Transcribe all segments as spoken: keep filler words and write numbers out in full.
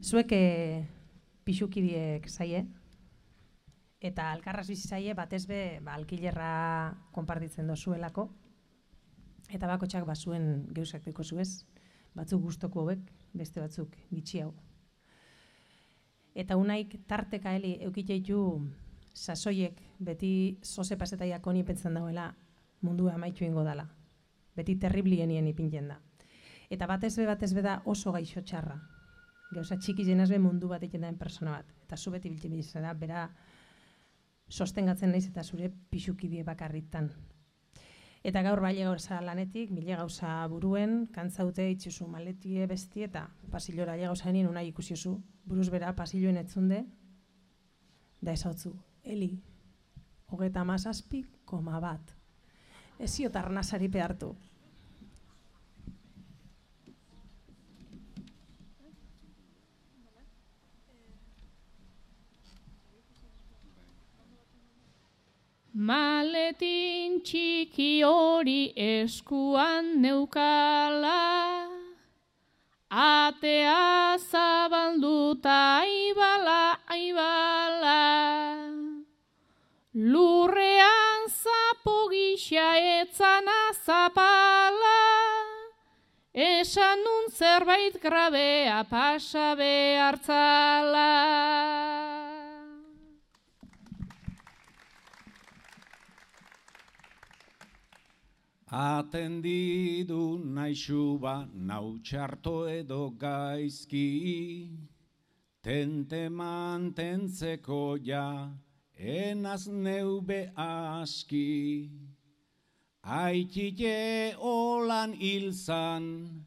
Zuek e, pixukidiek zaie, eta alkarraz bizi zaie batez be ba, alkilerra konpartitzen dozuelako, eta bakotxak bazuen geuzak deko zuez, batzuk gustoko hauek, beste batzuk gitxiago. Eta unaik tarteka heli eukiteitu sasoiek beti zoze pasetaiak honi pentzen dauela mundua amaitu ingo dala. Beti terriblienien ipintzen da. Eta batez be batez be da oso gaixo txarra. Gauza txiki jenaz be mundu bat egiten daen persona bat. Eta zu beti biltzen bizera, bera sostengatzen naiz eta zure pixukidie bakarritan. Eta gaur baile gauza lanetik, mile gauza buruen, kantzaute itxuzu maletie besti eta pasillora aile gauza nien unai ikusiozu, buruz bera pasilloen etzunde, da esautzu, Eli, hogeta mazazpi, koma bat. Ezio tarnazari pehartu. Maletin txiki hori eskuan neukala, atea zabalduta aibala, aibala. Lurrean zapo gisa etzana zapala, esan nun zerbait grabea pasa behartzala. Atendidu naixu ba nautxarto edo gaizki, tente mantentzeko ja, enaz neube aski. Aitite holan hilzan,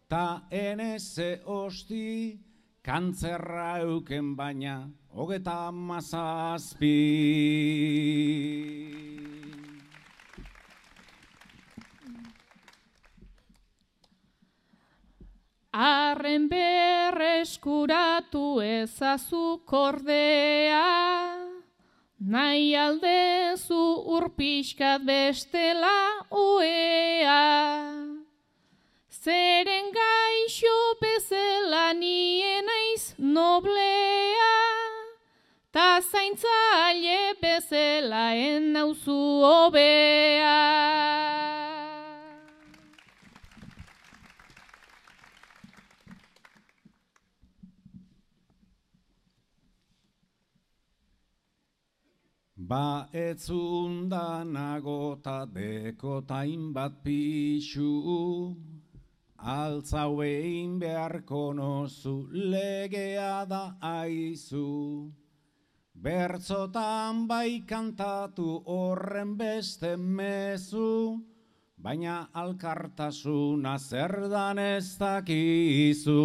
ta eneze osti, kantzerra euken baina, hogeta mazazpi. Arren berreskuratu ezazu kordea, nahi aldezu urpixkat bestela oea. Zeren gaixo bezala nien naiz noblea, ta zaintzaile bezala ennauzu hobea. Ba etzundanago ta dekotain bat pixu, altzauein beharko nozu legea da aizu. Bertzotan bai kantatu horren beste mezu, baina alkartasuna zer dan ez dakizu.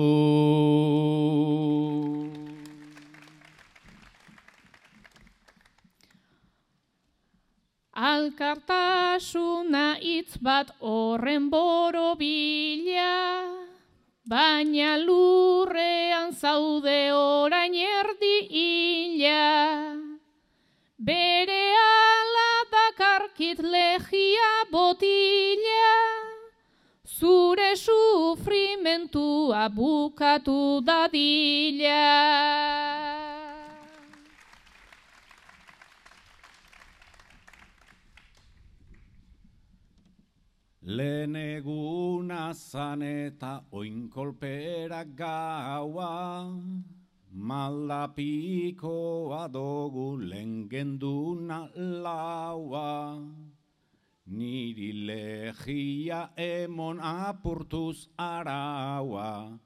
Alkartasuna hitz bat horren borobila, baina lurrean zaude orain erdi hila. Bere ala dakarkit legia botila, zure sufrimentua bukatu dadila. Lehen eguna zan eta oinkolperak gaua, maldapikoa dogu lehen genduna laua. Niri legia emon apurtuz araua,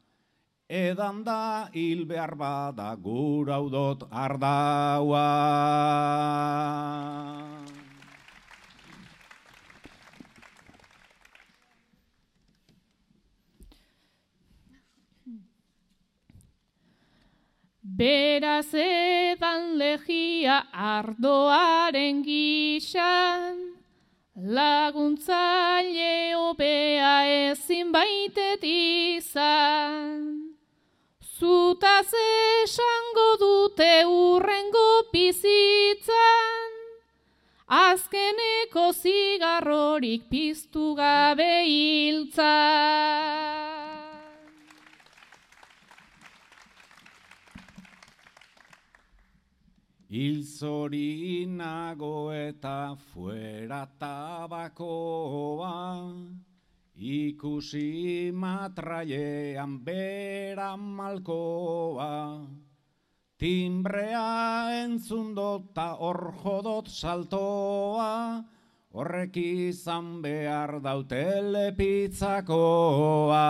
edan da hil behar bada guraudot ardaua. Beraz edan legia ardoaren gisan, laguntzaile hobea ezin baitet izan. Zutaz esango dute urrengo bizitzan, azkeneko zigarrorik piztu gabe hiltzan. Hilzori nago eta fuera tabakoa, ikusi matrailean bera malkoa. Timbrea entzundota hor jodot saltoa, horrek izan behar dautele pizzakoa.